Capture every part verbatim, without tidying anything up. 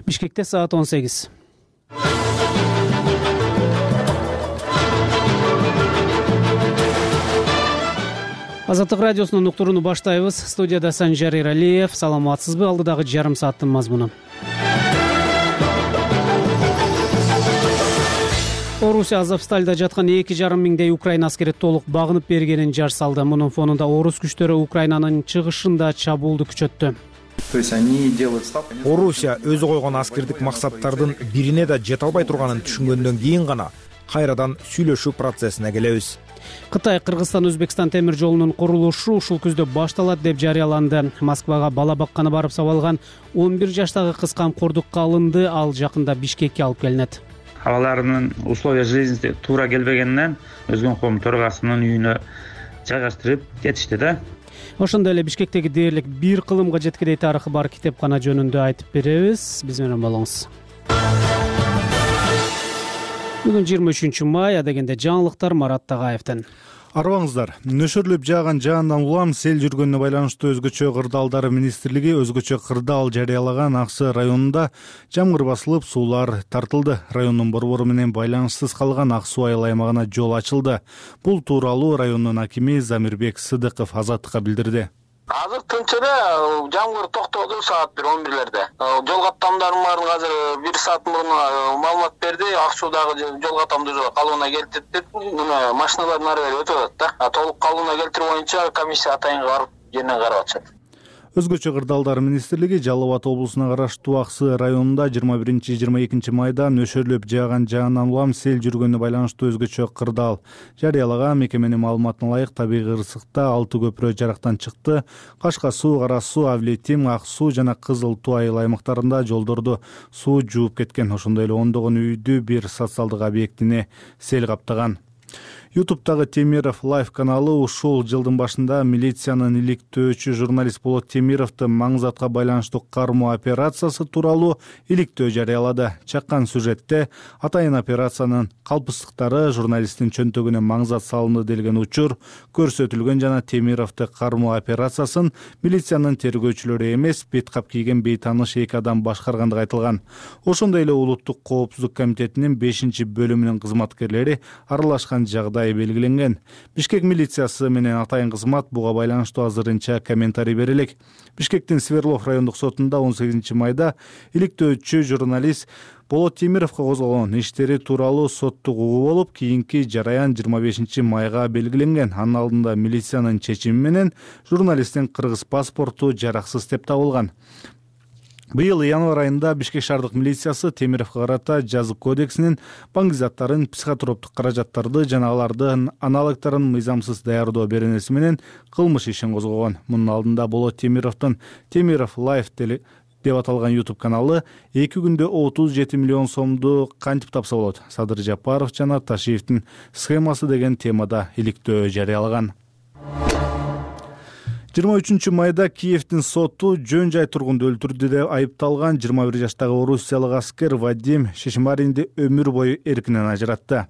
Бишкекте саат он сегиз. Азаттык радиосунун уктурууну баштайбыз. Студияда Санжар Иралиев. Саламатсызбы? Алдыдагы жарым сааттын мазмуну. Орусия Азовсталда жаткан эки жарым миңдей Украина аскери толук багынып бергенин жар салды. Мунун фонунда орус күчтөрү Украинанын чыгышында чабуулду күчөттү. Орусия өзү койгон аскердик максаттардын бирине да жете албай турганын түшүнгөндөн кийин гана кайрадан сүйлөшүү процессине келебиз. Кытай Кыргызстан-Өзбекстан темир жолунун курулушу ушул күздө башталат деп жарыяланды. Москвага бала бакканы барып сабалган он бир жаштагы кыз камкордукка алынды. Ал жакында Бишкекке алып келинет. Аларынын условия жизни туура келбегенинен Өзгөнком төрагасынын үйүнө жайгаштырып кетишти да. Ошондой эле Бишкектеги дээрлик бир кылымга жеткидей тарыхы бар китепкана жөнүндө айтып беребиз. Биз менен болуңуз. Бүгүн жыйырма үчүнчү май, адегенде жаңылыктар Марат Тагаевден. Арбаңыздар, нөшөрлөп жааган жаандан улам сел жүргөнүнө байланыштуу өзгөчө кырдаалдар министрлиги өзгөчө кырдаал жарыялаган Аксы районунда жамгыр басылып, суулар тартылды. Райондун борбору менен байланышсыз калган Ак суу айыл аймагына жол ачылды. Бул тууралуу райондун акими Замирбек Сыдыков Азаттыкка билдирди. Азыр тынч эле, жамгыр токтоду саат бир он бирлерде. Жол каттамдарым барын азыр бир саат мурун маалымат берди. Ак суудагы жол каттамды калыбына келтирди. Мына машиналардын ары бери өтүп атат да. Толук калыбына келтирүү боюнча комиссия атайынга барып жеринен карап атышат. Өзгөчө кырдаалдар министрлиги Жалал Абад облусуна караштуу Аксы районунда жыйырма биринчи жыйырма экинчи майда нөшөрлөп жааган жаандан улам сел жүргөнүнө байланыштуу өзгөчө кырдаал жарыялаган. Мекеменин маалыматына ылайык табигый ырсыкта алты көпүрө жарактан чыкты. Кашка суу, Кара суу, Авлетим, Ак суу жана Кызыл Туу айыл аймактарында жолдорду суу жууп кеткен. Ошондой эле ондогон үйдү бир социалдык объектине сел каптаган. Ютубтагы Темиров Лайф каналы ушул жылдын башында милициянын иликтөөчү журналист Болот Темировду маңзатка байланыштуу кармоо операциясы тууралуу иликтөө жарыялады. Чаккан сюжетте атайын операциянын калпыстыктары, журналисттин чөнтөгүнө маңзат салынды делген учур көрсөтүлгөн жана Темировду кармоо операциясын милициянын тергөөчүлөрү эмес, бет кап кийген бейтааныш эки адам башкаргандыгы айтылган. Ошондой эле Улуттук коопсуздук комитетинин бешинчи бөлүмүнүн кызматкерлери аралашкан жагдай белгиленген. Бишкек милициясы менен атайын кызмат буга байланыштуу азырынча комментарий бере элек. Бишкектин Сверлов райондук сотунда он сегизинчи майда иликтөөчү журналист Болот Темировго козголгон иштери тууралуу соттук угуу болуп, кийинки жараян жыйырма бешинчи майга белгиленген. Анын алдында милициянын чечими менен журналисттин кыргыз паспорту жараксыз деп табылган. Быйыл январь айында Бишкек шаардык милициясы Темировго карата жазык кодексинин баңгизаттарын, психотроптук каражаттарды жана алардын аналогдорун мыйзамсыз даярдоо беренеси менен кылмыш ишин козгогон. Мунун алдында Болот Темировдун Темиров Лайф деп аталган YouTube каналы эки күндө отуз жети миллион сомду кантип тапса болот? Садыр Жапаров жана Ташиевдин схемасы деген темада иликтөө жарыялаган. жыйырма үчүнчү майда Киевдин соту жөн жай тургунду өлтүрдү деп айыпталган жыйырма бир жаштагы орусиялык аскер Вадим Шишмаринди өмүр бою эркинен ажыратты.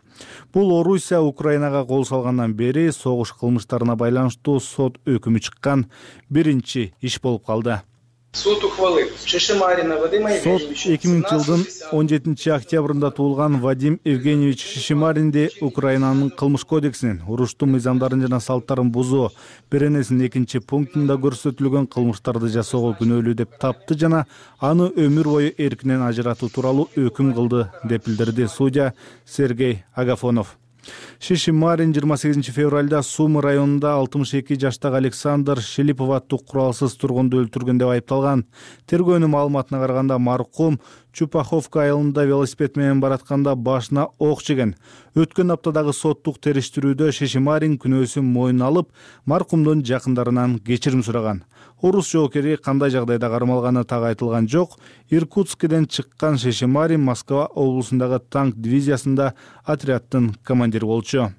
Бул Орусия Украинага кол салгандан бери согуш кылмыштарына байланыштуу сот өкүмү чыккан биринчи иш болуп калды. Суд ухвалил Шишмарина Вадима Евгеньевича. Сот эки миңинчи жылдын он жетинчи октябрында туулган Вадим Евгеньевич Шишмаринди Украинанын кылмыш кодексинин уруштуу мыйзамдарын жана салттарын бузуу беренесинин экинчи пунктунда көрсөтүлгөн кылмыштарды жасоого күнөөлүү деп тапты жана аны өмүр бою эркинен ажыратуу тууралуу өкүм кылды деп билдирди судья Сергей Агафонов. Шишмарин жыйырма сегизинчи февралда Сумы районунда алтымыш эки жаштагы Александр Шилипов аттуу куралсыз тургунду өлтүргөн деп айыпталган. Тергөөнүн маалыматына караганда маркум Чупаховка айылында велосипед менен баратканда башына ок жеген. Өткөн аптадагы соттук териштирүүдө Шишмарин күнөөсүн мойнуна алып, маркумдун жакындарынан кечирим сураган. Орус жоокери кандай жагдайда кармалганы так айтылган жок. Иркутскден чыккан Шишмарин Москва облусундагы танк дивизиясында отряддын командири болчу.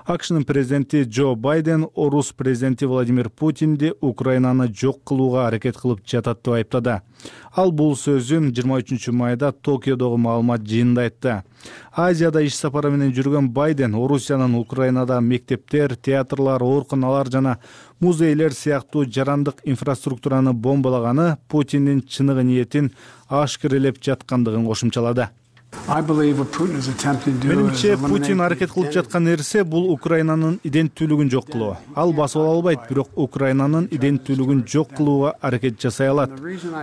акшнын президенти Джо Байден орус президенти Владимир Путинди Украинаны жок кылууга аракет кылып жатат деп айыптады. Ал бул сөзүн жыйырма үчүнчү майда Токиодогу маалымат жыйынында айтты. Азияда иш сапары менен жүргөн Байден Орусиянын Украинада мектептер, театрлар, ооруканалар жана музейлер сыяктуу жарандык инфраструктураны бомбалаганы Путиндин чыныгы ниетин ашкерелеп жаткандыгын кошумчалады. Менимче Путин аракет кылып жаткан нерсе бул Украинанын иденттүүлүгүн жок кылуу. Ал басып ала албайт, бирок Украинанын иденттүүлүгүн жок кылууга аракет жасай алат.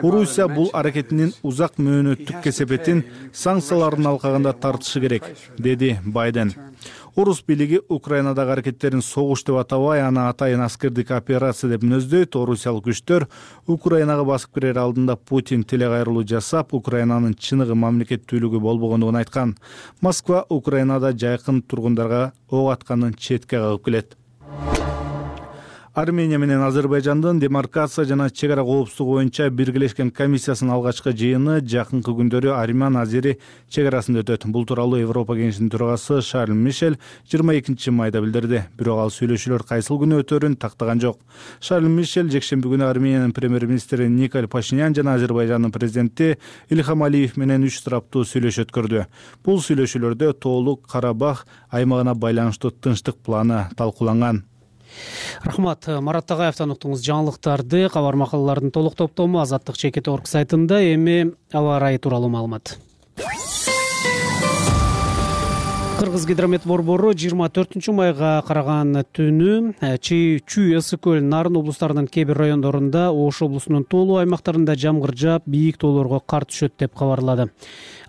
Орусия бул аракетинин узак мөөнөттүк кесепетин санкциялардын алкагында тартышы керек, деди Байден. Орус бийлиги Украинадагы аракеттерин согуш деп атабай, аны атайын аскердик операция деп мүнөздөйт. Орусиялык күчтөр Украинага басып кирер алдында Путин телекайрылуу жасап, Украинанын чыныгы мамлекеттүүлүгү болбогондугун айткан. Москва Украинада жайкын тургундарга ок атканын четке кагып келет. Армения менен Азербайжандын демаркация жана чек ара коопсуздугу боюнча биргелешкен комиссиясынын алгачкы жыйыны жакынкы күндөрү Армян-Азери чек арасында өтөт. Бул тууралуу Европа кеңешинин төрагасы Шарль Мишель жыйырма экинчи майда билдирди. Бирок ал сүйлөшүүлөр кайсыл күнү өтөрүн тактаган жок. Шарль Мишель жекшемби күнү Армениянын премьер-министри Николь Пашинян жана Азербайжандын президенти Ильхам Алиев менен үч тараптуу сүйлөшүү өткөрдү. Бул сүйлөшүүлөрдө Тоолук Карабах аймагына байланыштуу тынчтык планы талкууланган. Рахмат, Марат Тагаевтан уктуңуз жаңылыктарды. Кабар макалалардын толук топтому азаттык чекит точка орг сайтында. Эми аба ырайы тууралуу маалымат. Кыргыз гидромет борбору жыйырма төртүнчү майга караган түнү Чүй, Ысык көл, Нарын облустарынын кээ бир райондорунда, Ош облусунун тоолуу аймактарында жамгыр жаап, бийик тоолорго кар түшөт деп кабарлады.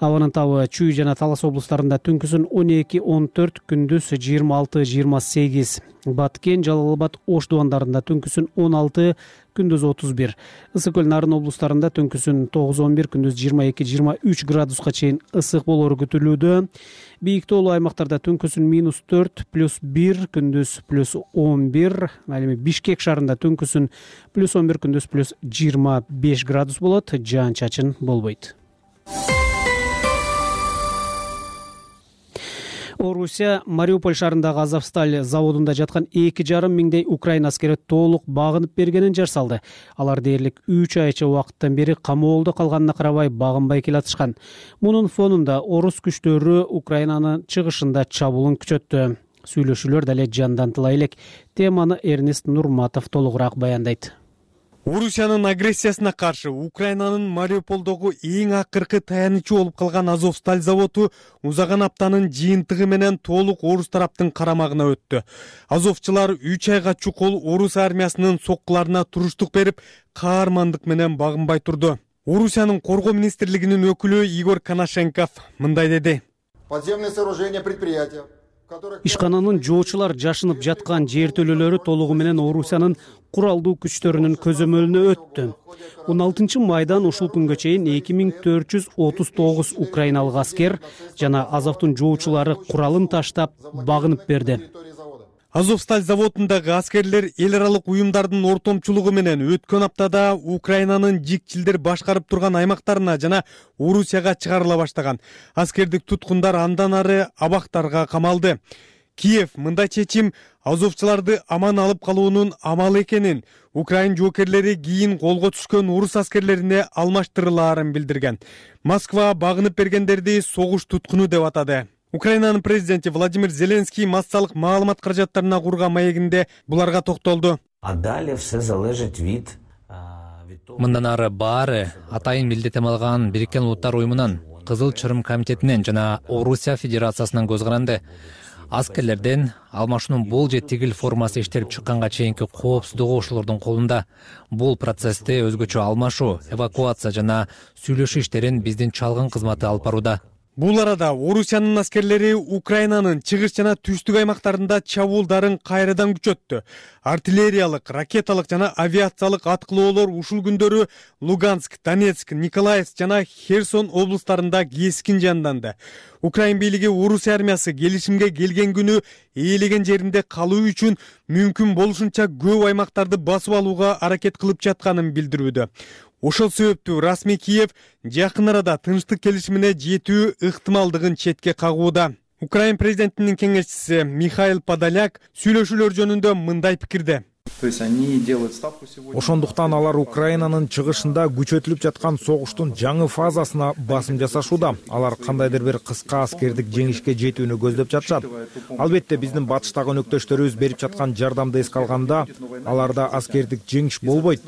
Абанын табы Чүй жана Талас облустарында түнкүсүн он эки он төрт, күндүз жыйырма алты жыйырма сегиз. Баткен, Жалал Абад, Ош дубандарында түнкүсүн он алты, күндүз отуз бир. Ысык көл, Нарын облустарында түнкүсүн тогуз он бир, күндүз жыйырма эки жыйырма үч градуска чейин ысык болору күтүлүүдө. Бийик тоолуу аймактарда түнкүсүн минус төрт, плюс бир, күндүз плюс он бир. Ал эми Бишкек шаарында түнкүсүн плюс он бир, күндүз плюс жыйырма беш градус болот. Жаан чачын болбойт. Орусия Мариуполь шаарындагы Азовсталь заводунда жаткан эки жарым миңдей Украина аскери толук багынып бергенин жар салды. Алар дээрлик үч айча убакыттан бери камоолдо калганына карабай багынбай келатышкан. Мунун фонунда орус күчтөрү Украинанын чыгышында чабуулун күчөттү. Сүйлөшүүлөр дале жандантыла элек. Теманы Эрнест Нурматов толугураак баяндайт. Орусиянын агрессиясына каршы Украинанын Мариуполдогу эң акыркы таянычы болуп калган Азовсталь заводу узаган аптанын жыйынтыгы менен толук орус тараптын карамагына өттү. Азовчулар үч айга чукул орус армиясынын соккуларына туруштук берип, каармандык менен багынбай турду. Орусиянын коргоо министрлигинин өкүлү Игорь Коношенков мындай деди. Подземные сооружения предприятия Ишкананын жоочулар жашынып жаткан жертөлөлөрү толугу менен Орусиянын куралдуу күчтөрүнүн көзөмөлүнө өттү. он алтынчы майдан ушул күнгө чейин эки миң төрт жүз отуз тогуз украиналык аскер жана Азовдун жоочулары куралын таштап багынып берди. Азовсталь заводундагы аскерлер эл аралык уюмдардын ортомчулугу менен өткөн аптада Украинанын жикчилдер башкарып турган аймактарына жана Орусияга чыгарыла баштаган. Аскердик туткундар андан ары абактарга камалды. Киев мындай чечим азовчуларды аман алып калуунун амалы экенин, Украин жоокерлери кийин колго түшкөн орус аскерлерине алмаштырылаарын билдирген. Москва багынып бергендерди согуш туткуну деп атады. Украинанын президенти Владимир Зеленский массалык маалымат каражаттарына курган маегинде буларга токтолду. Мындан ары баары атайын милдеттем алган Бириккен Улуттар уюмунан, Кызыл Чырым комитетинен жана Орусия Федерациясынан көз каранды. Аскерлерден алмашуунун бул же тигил формасы иштелип чыкканга чейинки коопсуздугу ошолордун колунда. Бул процессте өзгөчө алмашуу, эвакуация жана сүйлөшүү иштерин биздин чалгын кызматы алып барууда. Бул арада Орусиянын аскерлери Украинанын чыгыш жана түштүк аймактарында чабуулдарын кайрадан күчөттү. Артиллериялык, ракеталык жана авиациялык аткылоолор ушул күндөрү Луганск, Донецк, Николаевск жана Херсон облустарында кескин жанданды. Украин бийлиги Орусия армиясы келишимге келген күнү ээлеген жеринде калуу үчүн мүмкүн болушунча көп аймактарды басып алууга аракет кылып жатканын билдирүүдө. Ошол себептүү расмий Киев жакын арада тынчтык келишимине жетүү ыктымалдыгын четке кагууда. Украин президентинин кеңешчиси Михаил Подоляк сүйлөшүүлөр жөнүндө мындай пикирде. Ошондуктан алар Украинанын чыгышында күчөтүлүп жаткан согуштун жаңы фазасына басым жасашууда. Алар кандайдыр бир кыска аскердик жеңишке жетүүнү көздөп жатышат. Албетте биздин батыштагы өнөктөштөрүбүз берип жаткан жардамды эске алганда, аларда аскердик жеңиш болбойт,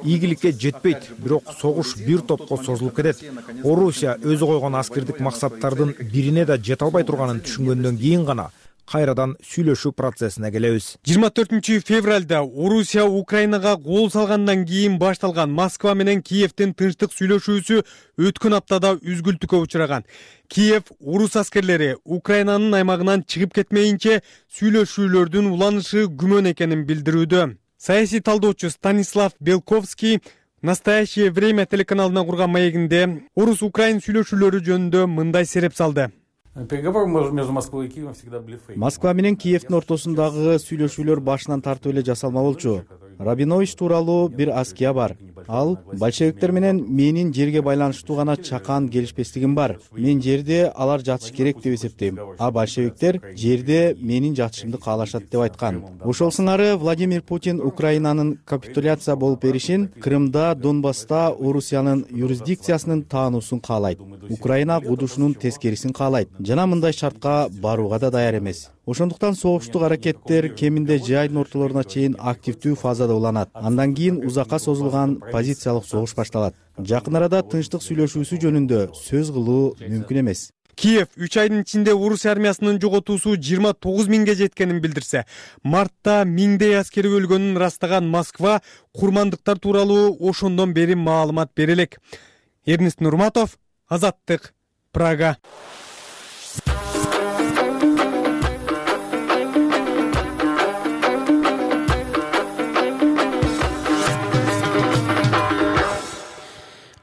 ийгиликке жетпейт, бирок согуш бир топко созулуп кетет. Орусия өзү койгон аскердик максаттардын бирине да жете албай турганын түшүнгөндөн кийин гана кайрадан сүйлөшүү процессине келебиз. жыйырма төртүнчү февралда Орусия Украинага кол салгандан кийин башталган Москва менен Киевдин тынчтык сүйлөшүүсү өткөн аптада үзгүлтүккө учураган. Киев орус аскерлери Украинанын аймагынан чыгып кетмейинче сүйлөшүүлөрдүн уланышы күмөн экенин билдирүүдө. Саясий талдоочу Станислав Белковский «Настоящее время» телеканалына курган маегинде орус-украин сүйлөшүүлөрү жөнүндө мындай сереп салды. Москва менен Киевдин ортосундагы сүйлөшүүлөр башынан тартып эле жасалма болчу. Рабинович тууралуу бир аския бар. Ал большевиктер менен менин жерге байланыштуу гана чакан келишпестигим бар. Мен жерде алар жатыш керек деп эсептейм. А большевиктер жерде менин жатышымды каалашат деп айткан. Ошол сыңары Владимир Путин Украинанын капитуляция болуп беришин, Крымда, Донбасста Орусиянын юрисдикциясынын таануусун каалайт. Украина кудушунун тескерисин каалайт. Жана мындай шартка барууга да даяр эмес. Ошондуктан согуштук аракеттер кеминде жайдын ортолоруна чейин активдүү фазада уланат. Андан кийин узакка созулган позициялык согуш башталат. Жакын арада тынчтык сүйлөшүүсү жөнүндө сөз кылуу мүмкүн эмес. Киев үч айдын ичинде орус армиясынын жоготуусу жыйырма тогуз миңге жеткенин билдирсе, мартта миңдей аскери өлгөнүн ырастаган Москва курмандыктар тууралуу ошондон бери маалымат бере элек. Эрнест Нурматов, Азаттык, Прага.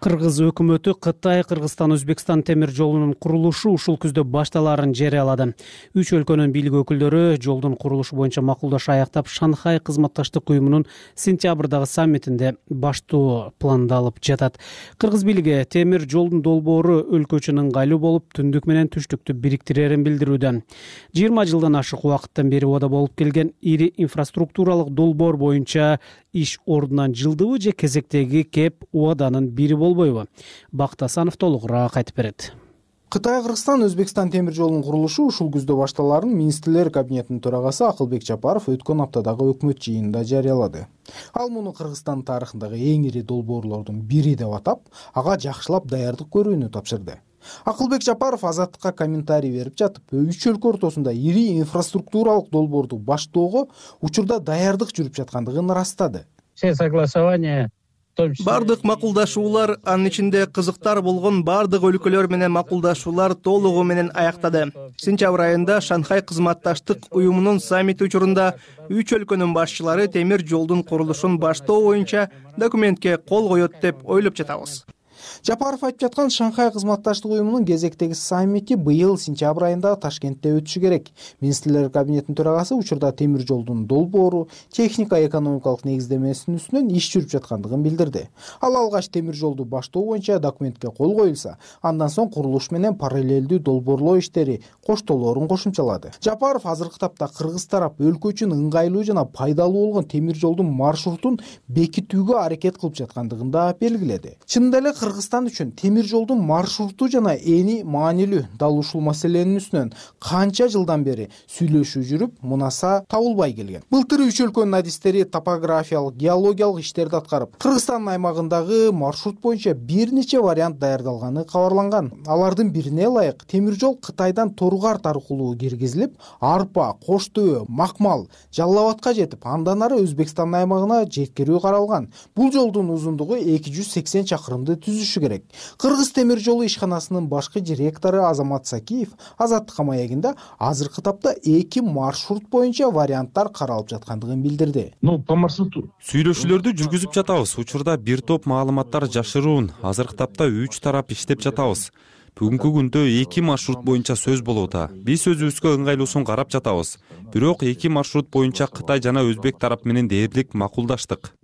Кыргыз өкмөтү Кытай, Кыргызстан, Өзбекстан темир жолунун курулушу ушул күздө башталаарын жарыялады. Үч өлкөнүн бийлик өкүлдөрү жолдун курулушу боюнча макулдаш аяктап, Шанхай кызматташтык уюмунун сентябрдагы саммитинде баштоо пландалып жатат. Кыргыз бийлиги темир жолдун долбоору өлкө үчүн ыңгайлуу болуп, түндүк менен түштүктү бириктирерин билдирүүдө. жыйырма жылдан ашык убакыттан бери убада болуп келген ири инфраструктуралык долбоор боюнча иш ордунан жылдыбы же кезектеги кеп убаданын бири болбойбу? Бакыт Асанов толугураак айтып берет. Кытай, Кыргызстан, Өзбекстан темир жолунун курулушу ушул күздө башталаарын министрлер кабинетинин төрагасы Акылбек Жапаров өткөн аптадагы өкмөт жыйынында жарыялады. Ал муну Кыргызстан тарыхындагы эң ири долбоорлордун бири деп атап, ага жакшылап даярдык көрүүнү тапшырды. Акылбек Жапаров Азаттыкка комментарий берип жатып, үч өлкө ортосунда ири инфраструктуралык долбоорду баштоого учурда даярдык жүрүп жаткандыгын ырастады. Все согласования Бардык макулдашуулар, анын ичинде кызыктар болгон бардык өлкөлөр менен макулдашуулар толугу менен аяктады. Сентябрь айында Шанхай кызматташтык уюмунун саммити учурунда үч өлкөнүн башчылары темир жолдун курулушун баштоо боюнча документке кол коет деп ойлоп жатабыз. Жапаров айтып жаткан Шанхай кызматташтык уюмунун кезектеги саммити быйыл сентябрь айында Ташкентте өтүшү керек. Министрлер кабинетинин төрагасы учурда темир жолдун долбоору, техника-экономикалык негиздемесинин үстүнөн иш жүрүп жаткандыгын билдирди. Ал алгач темир жолду баштоо боюнча документке кол коюлса, андан соң курулуш менен параллелдүү долбоорлоо иштери коштолоорун кошумчалады. Жапаров азыркы тапта Кыргыз тарап өлкө үчүн ыңгайлуу жана пайдалуу болгон темир жолдун маршрутун бекитүүгө аракет кылып жаткандыгын да белгиледи. Чынында эле Кыргызстан үчүн темир жолдун маршруту жана эни маанилүү. Дал ушул маселенин үстүнөн канча жылдан бери сүйлөшүү жүрүп, мунаса табылбай келген. Былтыр үч өлкөнүн адистери топографиялык, геологиялык иштерди аткарып, Кыргызстан аймагындагы маршрут боюнча бир нече вариант даярдалганы кабарланган. Алардын бирине ылайык темир жол Кытайдан Торгар аркылуу киргизилип, Арпа, Кош Төбө, Макмал, Жалал Абадка жетип, андан ары Өзбекстан аймагына жеткирүү каралган. Бул жолдун узундугу эки жүз сексен чакырымды түзүшү керек. Кыргыз темир жолу ишканасынын башкы директору Азамат Сакиев Азаттыкка маегинде азыркы тапта эки маршрут боюнча варианттар каралып жаткандыгын билдирди. Ну, по маршруту Сүйлөшүүлөрдү жүргүзүп жатабыз. Учурда бир топ маалыматтар жашыруун. Азыркы тапта үч тарап иштеп жатабыз. Бүгүнкү күндө эки маршрут боюнча сөз болууда. Биз өзүбүзгө ыңгайлуусун карап жатабыз. Бирок эки маршрут боюнча Кытай жана Өзбек тарап менен дээрлик макулдаштык.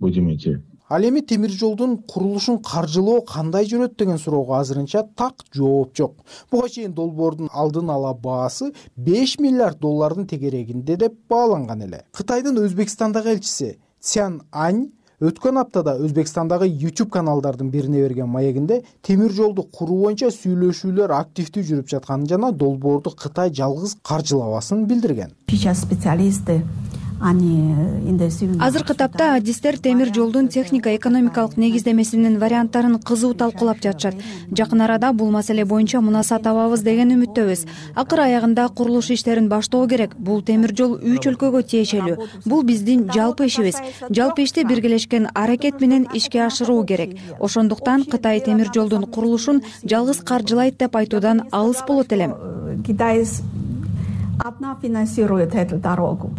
Ал эми темир жолдун курулушун каржылоо кандай жүрөт деген суроого азырынча так жооп жок. Буга чейин долбоордун алдын ала баасы беш миллиард доллардын тегерегинде деп бааланган эле. Кытайдын Өзбекстандагы элчиси Цян Ань өткөн аптада Өзбекстандагы YouTube каналдардын бирине берген маегинде темир жолду куруу боюнча сүйлөшүүлөр активдүү жүрүп жатканын жана долбоорду Кытай жалгыз каржылабасын билдирген. Сейчас специалисты азыркы тапта адистер темир жолдун техника экономикалык негиздемесинин варианттарын кызуу талкуулап жатышат. Жакын арада бул маселе боюнча мунаса табабыз деген үмүттөбүз. Акыр аягында курулуш иштерин баштоо керек. Бул темир жол үч өлкөгө тиешелүү. Бул биздин жалпы ишибиз. Жалпы ишти биргелешкен аракет менен ишке ашыруу керек. Ошондуктан Кытай темир жолдун курулушун жалгыз каржылайт деп айтуудан алыс болот элем. Одна финансирует эту дорогу.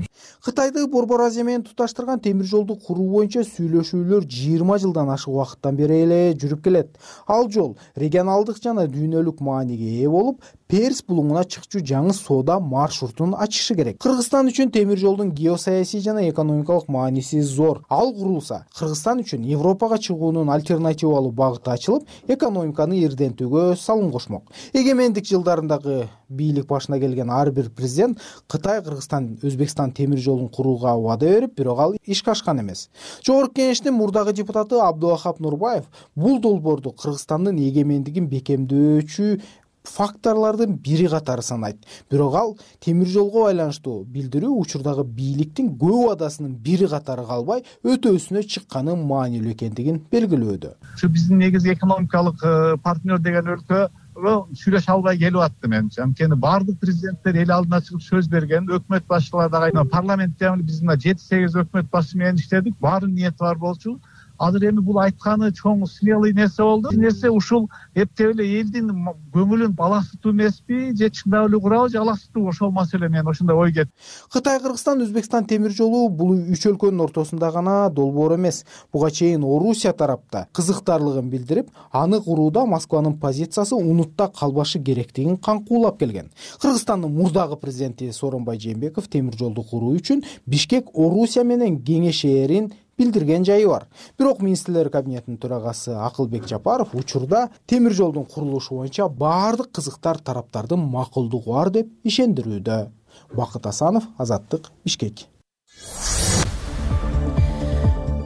Кытайды Борбор Азия менен туташтырган темир жолду куруу боюнча сүйлөшүүлөр жыйырма жылдан ашык убакыттан бери эле жүрүп келет. Ал жол регионалдык жана дүйнөлүк мааниге ээ болуп, Перс булуңуна чыкчу жаңы соода маршрутун ачышы керек. Кыргызстан үчүн темир жолдун геосаясий жана экономикалык мааниси зор. Ал курулса, Кыргызстан үчүн Европага чыгуунун альтернативалуу багыты ачылып, экономиканы ирдентүүгө салым кошмок. Эгемендик жылдарындагы бийлик башына келген ар бир президент Кытай, Кыргызстан, Өзбекстан темир жолун курууга убада берип, бирок ал ишке ашкан эмес. Жогорку кеңештин мурдагы депутаты Абдулахап Нурбаев бул долбоорду Кыргызстандын эгемендигин бекемдөөчү факторлордун бири катары санайт. Бирок ал темир жолго байланыштуу билдирүү учурдагы бийликтин көп убадасынын бири катары калбай, өтөөсүнө чыкканы маанилүү экендигин белгилөөдө. Ушу биздин негизи экономикалык партнер деген өлкө сүйлөшө албай келип атты менимче. Анткени баардык президенттер эл алдына чыгып сөз берген, өкмөт башчылары дагы парламентте биз мына жети сегиз өкмөт башы менен иштедик, баардык ниети бар болчу. Азыр эми бул айтканы чоң смелый нерсе болду. Нерсе ушул эптеп эле элдин көңүлүн алаксытуу эмеспи, же чындап эле курабы, же алаксытуу, ошол маселе менен ошондой ой кетти. Кытай, Кыргызстан, Өзбекстан темир жолу бул үч өлкөнүн ортосунда гана долбоор эмес. Буга чейин Орусия тарапта кызыктарлыгын билдирип, аны курууда Москванын позициясы унутта калбашы керектигин каңкуулап келген. Кыргызстандын мурдагы президенти Сооронбай Жээнбеков темир жолду куруу үчүн Бишкек Орусия менен кеңешээрин билдирген жайы бар. Бирок министрлер кабинетинин төрагасы Акылбек Жапаров учурда темир жолдун курулушу боюнча баардык кызыктар тараптардын макулдугу бар деп ишендирүүдө. Бакыт Асанов, Азаттык, Бишкек.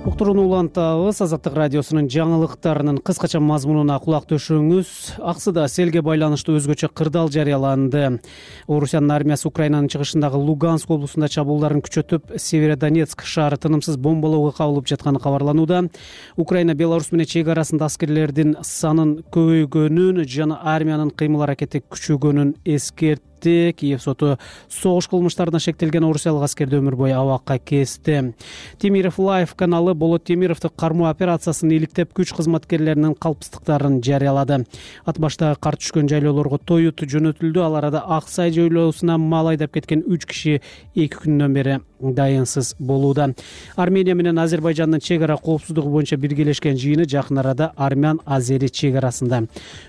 Уктурууну улантабыз. Азаттык радиосунун жаңылыктарынын кыскача мазмунуна кулак төшөңүз. Аксыда селге байланыштуу өзгөчө кырдаал жарыяланды. Орусиянын армиясы Украинанын чыгышындагы Луганск облусунда чабуулдарын күчөтүп, Северодонецк шаары тынымсыз бомбалоого кабылып жатканы кабарланууда. Украина Беларусь менен чек арасында аскерлердин санын көбөйгөнүн жана армиянын кыймыл аракети күчөгөнүн эскертти. Киев соту согуш кылмыштарына шектелген орусиялык аскерди өмүр бою абакка кести. Темиров Лайф каналы Болот Темировду кармоо операциясын иликтеп, күч кызматкерлеринин калпсыздыктарын жарыялады. Ат башта кар түшкөн жайлоолорго тоют жөнөтүлдү. Ал арада Ак Сай жайлоосуна мал айдап кеткен үч киши эки күндөн бери дайынсыз болууда. Армения менен Азербайжандын чек ара коопсуздугу боюнча биргелешкен жыйыны жакын арада Армян-Азери чек арасында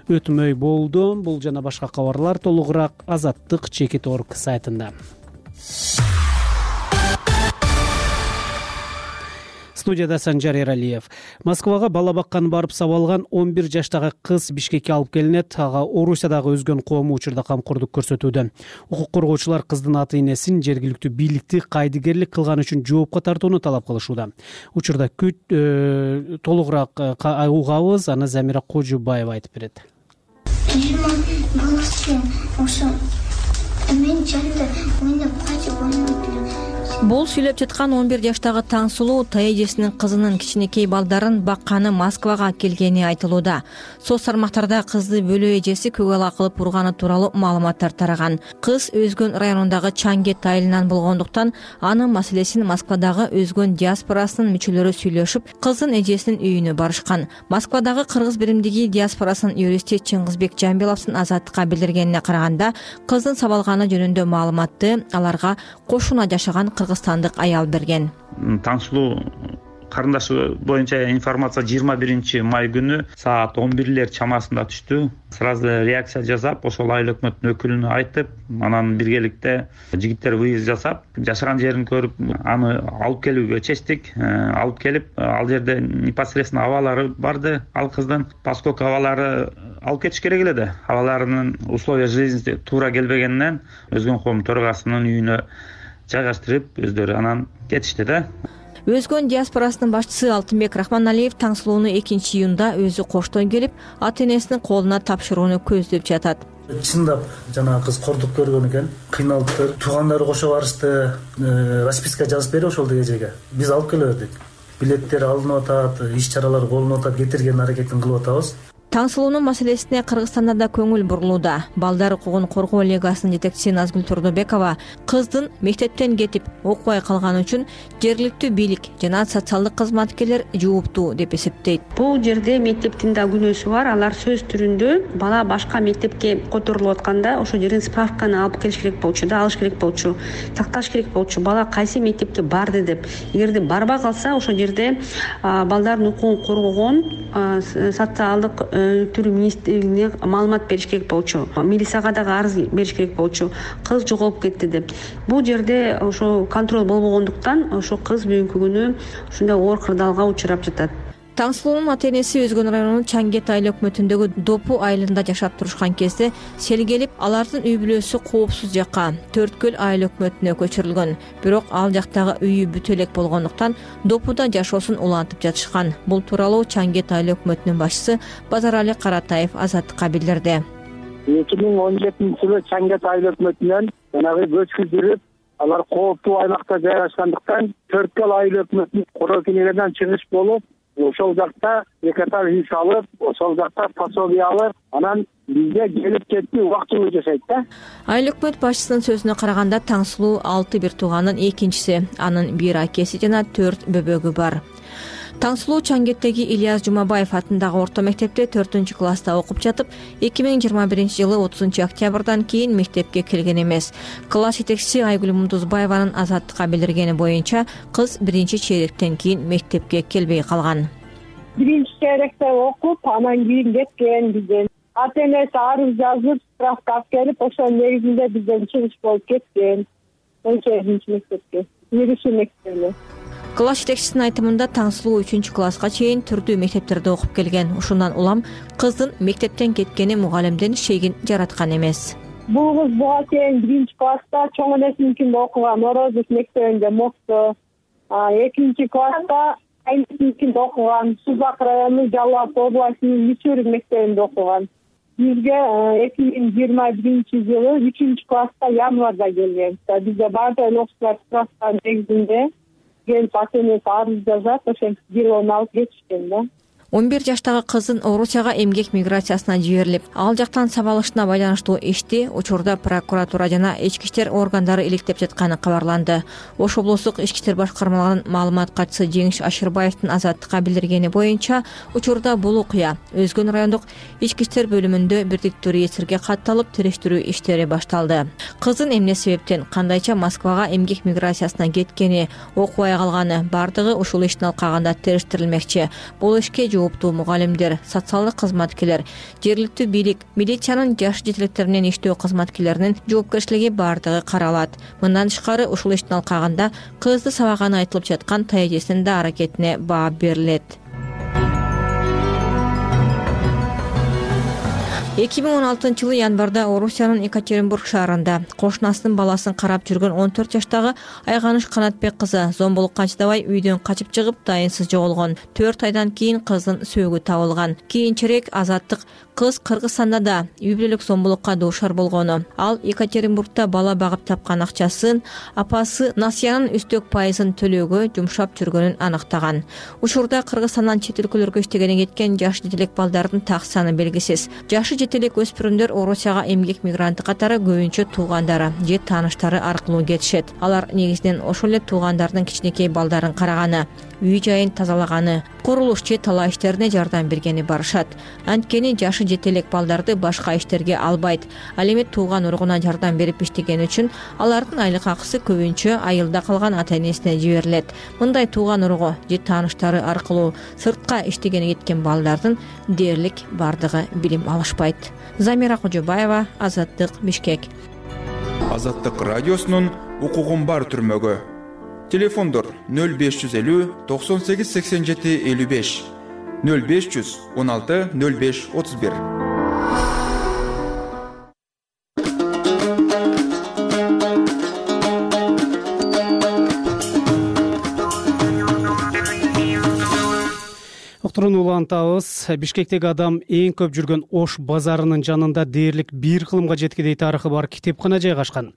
өтмөй болду. Бул жана башка кабарлар толугураак Азаттык чекит точка орг сайтында. Студияда Санжар Эралиев. Москвага бала бакканы барып сабалган он бир жаштагы кыз Бишкекке алып келинет. Ага Орусиядагы өзгөн коому учурда камкордук көрсөтүүдө. Укук коргоочулар кыздын ата энесин жергиликтүү бийликти кайдыгерлик кылган үчүн жоопко тартууну талап кылышууда. Учурда күт э, толугураак угабыз, аны Замира Кожубаева айтып берет. Бул сүйлөп жаткан он бир жаштагы Таңсулуу эжесинин кызынын кичинекей балдарын бакканы Москвага келгени айтылууда. Соц тармактарда кызды бөлөө эжеси көк ала кылып урганы тууралуу маалыматтар тараган. Кыз Өзгөн районундагы Чаңгет айылынан болгондуктан анын маселесин Москвадагы Өзгөн диаспорасынын мүчөлөрү сүйлөшүп, кыздын эжесинин үйүнө барышкан. Москвадагы кыргыз биримдиги диаспорасынын юристи Чыңгызбек Жамбиловдун Азаттыкка билдиргенине караганда, кыздын сабалганы жөнүндө маалыматты аларга кошуна жашаган кыргызстандык аял берген. Таңсулуу карындашы боюнча информация жыйырма биринчи май күнү саат он бирлер чамасында түштү. Сразу реакция жасап, ошол айыл өкмөтүнүн өкүлүнө айтып, анан биргеликте жигиттер выезд жасап, жашаган жерин көрүп, аны алып келүүгө чечтик. Алып келип, ал жерде непосредственно абалары барды, ал кыздын, поскольку абалары алып кетиш керек эле да. Абаларынын условия жизни туура келбегенинен Өзгөн коом төрагасынын үйүнө жайгаштырып, өздөрү анан кетишти да. Өзгөн диаспорасынын башчысы Алтынбек Рахманалиев Таңсулууну экинчи июнда өзү коштон келип, ата-энесинин колуна тапшырууну көздөп жатат. Чындап жанагы кыз кордук көргөн экен, кыйналыптыр. Туугандары кошо барышты, расписка жазып берип ошол эжеге. Биз алып келе бердик. Билеттер алынып атат, иш чаралар колунуп атат, кетирген аракетин кылып атабыз. Таңсулуунун маселесине Кыргызстанда да көңүл бурулууда. Балдар укугун коргоо лигасынын жетекчиси Назгүл Турдубекова кыздын мектептен кетип окубай калганы үчүн жергиликтүү бийлик жана социалдык кызматкерлер жооптуу деп эсептейт. Бул жерде мектептин да күнөөсү бар. Алар сөз түрүндө бала башка мектепке которулуп атканда ошол жерден справканы алып келиш керек болчу да, алыш керек болчу, такташ керек болчу. Бала кайсы мектепке барды деп. Эгерде барбай калса, ошол жерде балдардын укугун коргогон социалдык түрү министрлигине маалымат бериш керек болчу. Милицияга дагы арыз бериш керек болчу. Кыз жоголуп кетти деп. Бул жерде ошо контроль болбогондуктан ошо кыз бүгүнкү күнү ушундай оор кырдаалга учурап жатат. Таңсулуунун ата-энеси Өзгөн районунун Чаңгет айыл өкмөтүндөгү Допу айылында жашап турушкан кезде сел келип, алардын үй бүлөсү коопсуз жакка Төрткөл айыл өкмөтүнө көчүрүлгөн. Бирок ал жактагы үйү бүт элек болгондуктан Допуда жашоосун улантып жатышкан. Бул тууралуу Чаңгет айыл өкмөтүнүн башчысы Базарали Каратаев Азаттыкка билдирди. эки миң он жетинчи жылы Чаңгет айыл өкмөтүнөн жанагы көчкүздүрүп, алар кооптуу аймакта жайгашкандыктан Төрткөл айыл өкмөтүнүн короо кенелеринен чыгыш болуп, ошол жакта экатар үй салып, ошол жакта пособие алып, анан бизге келип кетти, убактылуу жашайт да. Айыл өкмөт башчысынын сөзүнө караганда Таңсулуу алты бир тууганын экинчиси, анын бир акеси жана төрт бөбөгү бар. Таңсулуу Чаңгеттеги Ильяс Жумабаев атындагы орто мектепте төртүнчү класста окуп жатып, эки миң жыйырма биринчи жылы отузунчу октябрдан кийин мектепке келген эмес. Класс жетекчиси Айгүл Мундузбаеванын Азаттыкка билдиргени боюнча, кыз биринчи чейректен кийин мектепке келбей калган. Биринчи чейректе окуп, анан кийин кеткен бизден. Ата-энеси арыз жазып, справка алып келип, ошол негизинде бизден чыгыш болуп кеткен. он сегизинчи мектепке, Ириши мектебине. Класс жетекчисинин айтымында Таңсулуу үчүнчү класска чейин түрдүү мектептерде окуп келген. Ушундан улам кыздын мектептен кеткени мугалимдин шегин жараткан эмес. Бул кыз буга чейин биринчи класста чоң энесиникинде окуган, Орозов мектебинде Мокто. Экинчи класста айнысыникинде окуган, Сузак району Жалал областынын Мичурин мектебинде окуган. Бизге эки миң жыйырма биринчи жылы үчүнчү класста январда келген. Бизде баардык окуучулар справка негизинде келип ата-энеси арыз жазат, ошентип делону алып кетишкен да. он бир жаштагы кыздын Орусияга эмгек миграциясына жиберилип, ал жактан сабалышына байланыштуу ишти учурда прокуратура жана ички иштер органдары иликтеп жатканы кабарланды. Ош облустук ички иштер башкармаларынын маалымат катчысы Жеңиш Ашырбаевдин Азаттыкка билдиргени боюнча, учурда бул окуя Өзгөн райондук ички иштер бөлүмүндө бирдиктүү реестрге катталып, териштирүү иштери башталды. Кыздын эмне себептен, кандайча Москвага эмгек миграциясына кеткени, окубай калганы бардыгы ушул иштин алкагында териштирилмекчи. Бул ишке жооптуу мугалимдер, социалдык кызматкерлер, жергиликтүү бийлик, милициянын жаш жетелектер менен иштөө кызматкерлеринин жоопкерчилиги бардыгы каралат. Мындан тышкары ушул иштин алкагында кызды сабаганы айтылып жаткан таежесинин да аракетине баа берилет. эки миң он алтынчы жылы январда Орусиянын Екатеринбург шаарында кошунасынын баласын карап жүргөн он төрт жаштагы Айганыш Канатбек кызы зомбулукка чыдабай үйдөн качып чыгып дайынсыз жоголгон. төрт айдан кийин кыздын сөөгү табылган. Кийинчерээк Азаттык кыз Кыргызстанда да үй бүлөлүк зомбулукка дуушар болгону, ал Екатеринбургда бала багып тапкан акчасын апасы Насиянын үстөк пайызын төлөөгө жумшап жүргөнүн аныктаган. Учурда Кыргызстандан чет өлкөлөргө иштегени кеткен жаш жетелек балдардын так саны белгисиз. Жашы жете элек өспүрүмдөр Орусияга эмгек мигранты катары көбүнчө туугандары же тааныштары аркылуу кетишет. Алар негизинен ошол эле туугандардын кичинекей балдарын караганы, үй жайын тазалаганы, курулуш же талаа иштерине жардам бергени барышат. Анткени жашы жете элек балдарды башка иштерге албайт. Ал эми тууган уругуна жардам берип иштегени үчүн алардын айлык акысы көбүнчө айылда калган ата-энесине жиберилет. Мындай тууган уругу же тааныштары аркылуу сыртка иштегени кеткен балдардын дээрлик бардыгы билим алышпайт. Замира Кожобаева, Азаттык, Бишкек. Азаттык радиосунун укугун бар түрмөгө. Телефондор нөл беш жүз элүү токсон сегиз сексен жети элүү беш, нөл беш жүз он алты нөл беш отуз бир. Уктурууну улантабыз. Бишкектеги адам эң көп жүргөн Ош базарынын жанында дээрлик бир кылымга жеткидей тарыхы бар китепкана жайгашкан.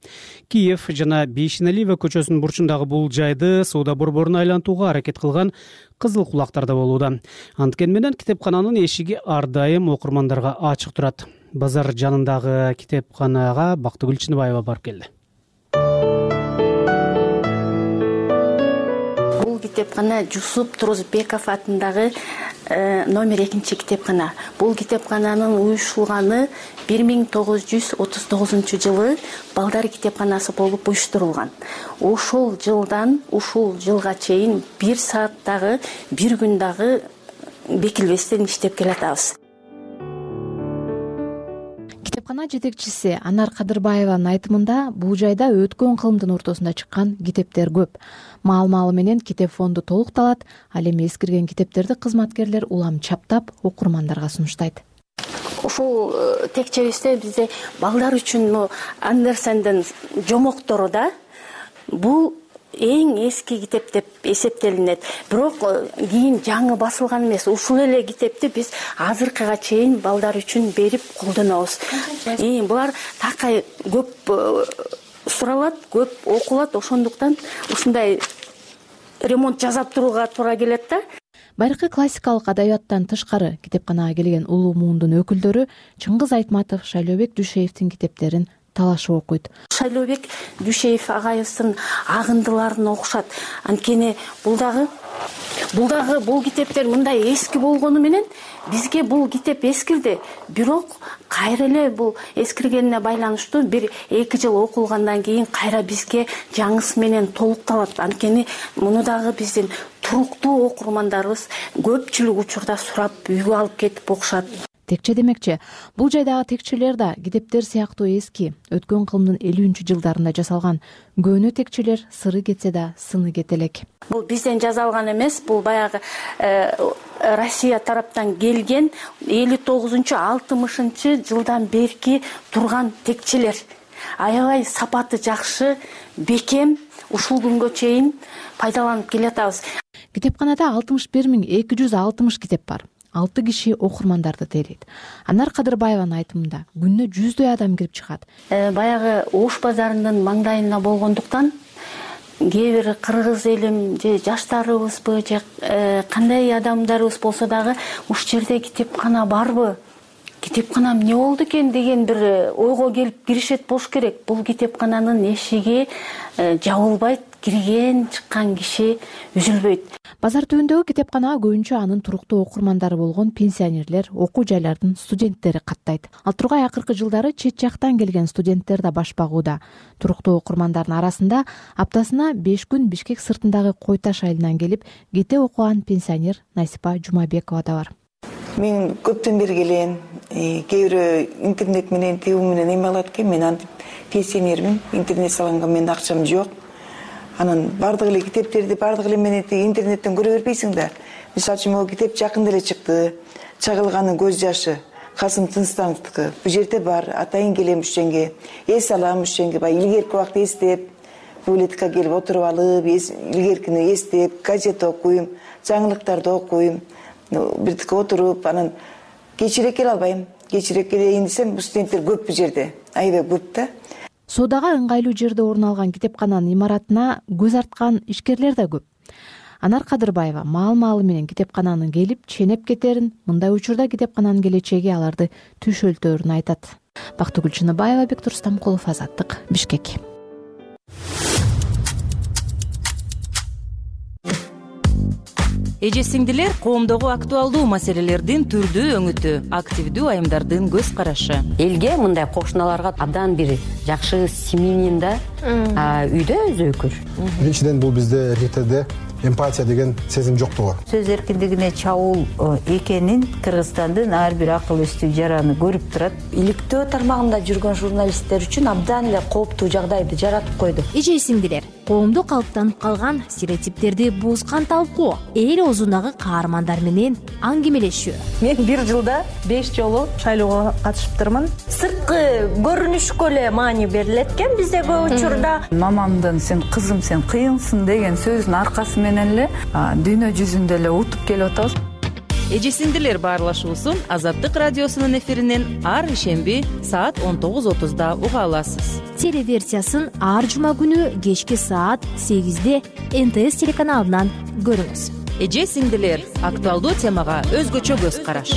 Киев жана Бейшиналиева көчөсүнүн бурчундагы бул жайды соода борборун айлантууга аракет кылган кызыл кулактарда болууда. Анткени менен китепкананын эшиги ар дайым окурмандарга ачык турат. Базар жанындагы китепканага Бактыгүл Чыныбаева барып келди. Бул китепкана Жусуп Турузбеков атындагы номер экинчи китепкана. Бул китепкананын уюштурулганы бир миң тогуз жүз отуз тогузунчу жылы балдар китепканасы болуп уюштурулган. Ошол жылдан ушул жылга чейин бир сааттагы, бир күн дагы бекилбестен иштеп келатабыз. Китепкана жетекчиси Анар Кадырбаеванын айтымында бул жайда өткөн кылымдын ортосунда чыккан китептер көп. Маал-маалы менен китеп фонду толукталат, ал эми эскирген китептерди кызматкерлер улам чаптап окурмандарга сунуштайт. Ушул текчебизде бизде балдар үчүн Андерсендин жомоктору да бул эң эски китеп деп эсептелинет. Бирок кийин жаңы басылган эмес. Ушул эле китепти биз азыркыга чейин балдар үчүн берип колдонобуз. Булар такай көп суралат, көп окулат, ошондуктан ушундай ремонт жасап турууга туура келет да. Байыркы классикалык адабияттан тышкары китепканага келген улуу муундун өкүлдөрү Чыңгыз Айтматов, Шайлообек Дүйшеевдин китептерин талашып окуйт. Шайлообек Дүйшеев агайыбыздын агындыларын окушат. Анткени бул дагы бул дагы бул китептер мындай эски болгону менен бизге бул китеп эскирди. Бирок кайра эле бул эскиргенине байланыштуу бир эки жыл окулгандан кийин кайра бизге жаңысы менен толукталат. Анткени муну дагы биздин туруктуу окурмандарыбыз көпчүлүк учурда сурап үйгө алып кетип окушат. Текче демекчи, бул жайдагы текчелер да китептер сыяктуу эски, өткөн кылымдын элүүнчү жылдарында жасалган. Көөнү текчелер сыры кетсе да сыны кете элек. Бул бизден жасалган эмес, бул баягы Россия тараптан келген элүү тогузунчу алтымышынчы жылдан берки турган текчелер. Аябай сапаты жакшы, бекем, ушул күнгө чейин пайдаланып келатабыз. Китепканада алтымыш бир миң эки жүз алтымыш китеп бар. Алты киши окурмандарды тейлейт. Анар Кадырбаеванын айтымында күнүнө жүздөй адам кирип чыгат. Баягы Ош базарынын маңдайында болгондуктан кээ бир кыргыз элим же жаштарыбызбы же кандай адамдарыбыз болсо дагы ушул жерде китепкана барбы? Китепкана эмне болду экен деген бир ойго келип киришет болуш керек. Бул китепкананын эшиги жабылбайт, кирген чыккан киши үзүлбөйт. Базар түбүндөгү китепканага көбүнчө анын туруктуу окурмандары болгон пенсионерлер, окуу жайлардын студенттери каттайт. Ал тургай акыркы жылдары чет жактан келген студенттер да баш багууда. Туруктуу окурмандардын арасында аптасына беш күн Бишкек сыртындагы Кой Таш айылынан келип кете окуган пенсионер Насипа Жумабекова да бар. Мен көптөн бери келем. Кээ бирөө интернет менен, телефон менен эме алат экен. Мен антип пенсионермин. Интернет салганга менин акчам жок. Анан бардык эле китептерди бардык эле менен интернеттен көрө бербейсиң да. Мисалы үчүн могу китеп жакында эле чыкты. Чагылганын көз жашы, Касым Тынстановдуку. Бул жерде бар. Атайын келем ушенге. Эс алам ушенге. Бай илгерки убакта эстеп, библиотекага келип отуруп алып, илгеркини эстеп, газет окуйм, жаңылыктарды окуйм. Бирдикке отуруп, анан кечирээк келе албайм. Кечирээк келейин десем, бул студенттер көп бул жерде. Аябай көп да. Соодага ыңгайлуу жерде орун алган китепкананын имаратына көз арткан ишкерлер да көп. Анар Кадырбаева маал маалы менен китепкананын келип ченеп кетерин, мындай учурда китепкананын келечеги аларды түшөлтөөрүн айтат. Бактыгүл Чыныбаева, Бектур Стамкулов, Азаттык, Бишкек. Эже сиңдилер, коомдогу актуалдуу маселелердин түрдүү өңүтү, активдүү айымдардын көз карашы. Элге мындай кошуналарга абдан бир жакшы семьянин да үйдө өзөкүр. Биринчиден бул бизде эркектерде эмпатия деген сезим жоктугу. Сөз эркиндигине чабуул экенин Кыргызстандын ар бир акыл эстүү жараны көрүп турат. Иликтөө тармагында жүргөн журналисттер үчүн абдан эле кооптуу жагдайды жаратып койду. Эже сиңдилер, коомдо калыптанып калган стереотиптерди бузган талкуу, эл оозундагы каармандар менен аңгемелешүү. Мен бир жылда беш жолу шайлоого катышыптырмын. Сырткы көрүнүшкө эле маани берилет экен бизде көп учурда. Мамамдын сен кызым сен кыйынсың деген сөзүнүн аркасы менен эле дүйнө жүзүндө эле утуп келип атабыз. Эже сиңдилер баарлашуусун Азаттык радиосунун эфиринен ар ишемби саат он тогуз отузда уга аласыз. Телеверсиясын ар жума күнү кечки саат сегизде эн тэ эс телеканалынан көрүңүз. Эже сиңдилер, актуалдуу темага өзгөчө көз караш.